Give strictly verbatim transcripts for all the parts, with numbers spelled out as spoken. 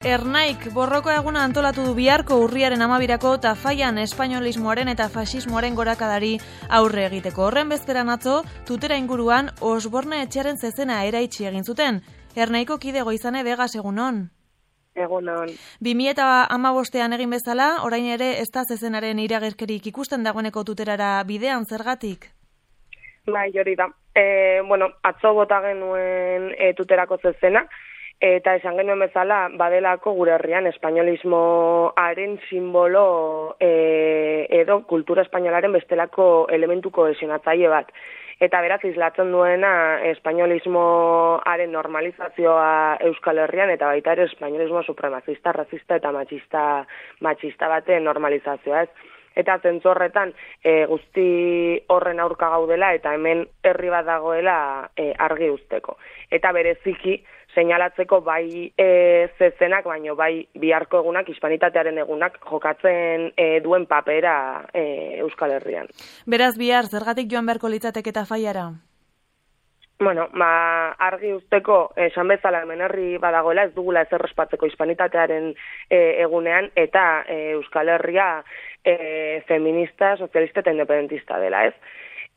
Ernaik borroko eguna antolatu du biharko urriaren amabirako Tafallan espainolismoaren eta faxismoaren gorakadari aurre egiteko. Horren bezperan atzo, Tutera inguruan Osborne etxearen zezena eraitsi egin zuten. Ernaiko kide Goizane Vegas egunon. Egunon. bi mila hamabostean egin bezala, orain ere ez da zezenaren iragerkerik ikusten dagoeneko Tuterara bidean zergatik? Bai, hori da. E, bueno, atzo bota genuen e, Tuterako zezena, eta esan genuen bezala, badelako gure herrian espainolismoaren simbolo e, edo kultura espainolaren bestelako elementu kohesionatzaile bat. Eta beraz, islatzen duena espainolismoaren normalizazioa Euskal Herrian, eta baita ere espainolismo supremazista, razista eta matxista, matxista baten normalizazioa ez. Eta zentzorretan e, guzti horren aurka gaudela eta hemen herri bat dagoela e, argi uzteko. Eta bereziki seinalatzeko bai e, zezenak, baino bai biharko egunak, hispanitatearen egunak jokatzen e, duen papera e, Euskal Herrian. Beraz bihar, zergatik joan beharko litzateke Tafallara? Bueno, ba, argi usteko esan bezala hemen herri badagoela, ez dugula ezer ospatzeko hispanitatearen e, egunean, eta e, Euskal Herria e, feminista, sozialista eta independentista dela, ez?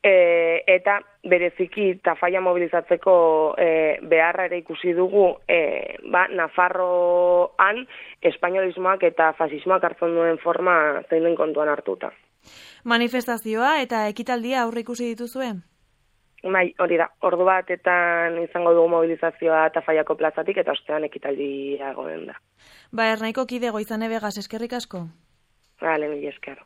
E, eta bereziki Tafalla mobilizatzeko e, beharra ere ikusi dugu e, ba, Nafarroan espainolismoak eta fasismoak hartzen duen forma zein den kontuan hartuta. Manifestazioa eta ekitaldia aurre ikusi dituzue? Bai, hori da, ordu batetan izango dugu mobilizazioa Tafallako plazatik eta ostean ekitaldia egonen da. Ba, Ernaiko kide Goizane Vegas, eskerrik asko? Bale, mila esker.